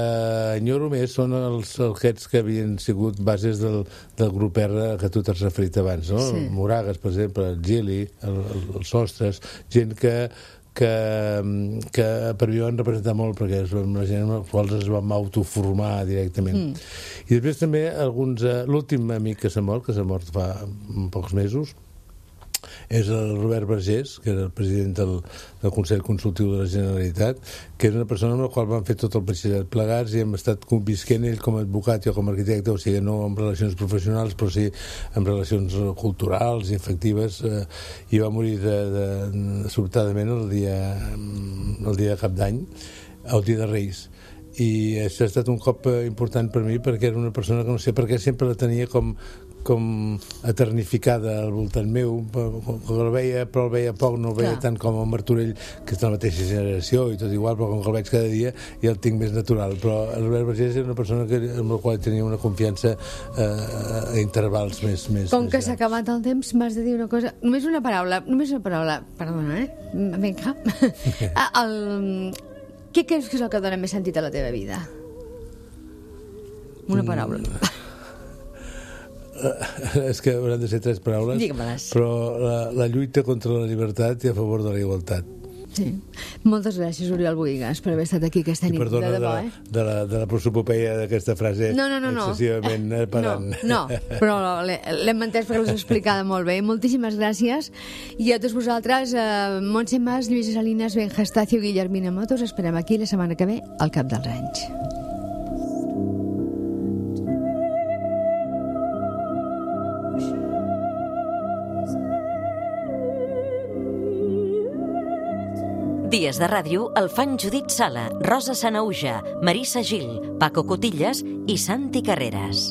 enyoro més són aquests que havien sigut bases del grup R que tu t'has referit abans, no? Sí. Moragas, per exemple, el Gili, els Sostres, gent que per mi van representar molt perquè són la gent amb els quals es vam autoformar directament. I després també l'últim amic que s'ha mort fa pocs mesos és el Robert Vergés, que era el president del Consell Consultiu de la Generalitat, que és una persona amb la qual vam fer tot el batxillerat plegats i hem estat convisquent ell com a advocat i jo com a arquitecte, o sigui, no en relacions professionals però sí en relacions culturals i afectives, i va morir sobtadament el dia de Cap d'Any, el dia de Reis. I això ha estat un cop important per mi perquè era una persona que no sé per què sempre la tenia com eternificada al voltant meu, que el veia poc, no el veia tant com el Martorell, que és de la mateixa generació i tot igual, però com que el veig cada dia ja el tinc més natural. Però l'Albert Vergés és una persona amb la qual tenia una confiança a intervals més com que s'ha acabat el temps, m'has de dir una cosa, només una paraula, perdona, vinga. Què creus que és el que dona més sentit a la teva vida? Una paraula. És que hauran de ser 3 paraules. Digue-me-les. Però la lluita contra la llibertat i a favor de la igualtat. Sí. Moltes gràcies, Oriol Bohigas, per haver estat aquí aquesta nit. I perdona de debò, de la prosopopeia d'aquesta frase excessivament parant. No, però l'hem entès perquè l'has explicada molt bé. Moltíssimes gràcies. I a tots vosaltres, Montse Mas, Lluïsa Salinas, Ben Gestacio, Guillermina Motos, esperem aquí la setmana que ve al Cap dels Anys. Dies de ràdio el fan Judit Sala, Rosa Sanauja, Marissa Gil, Paco Cotillas i Santi Carreras.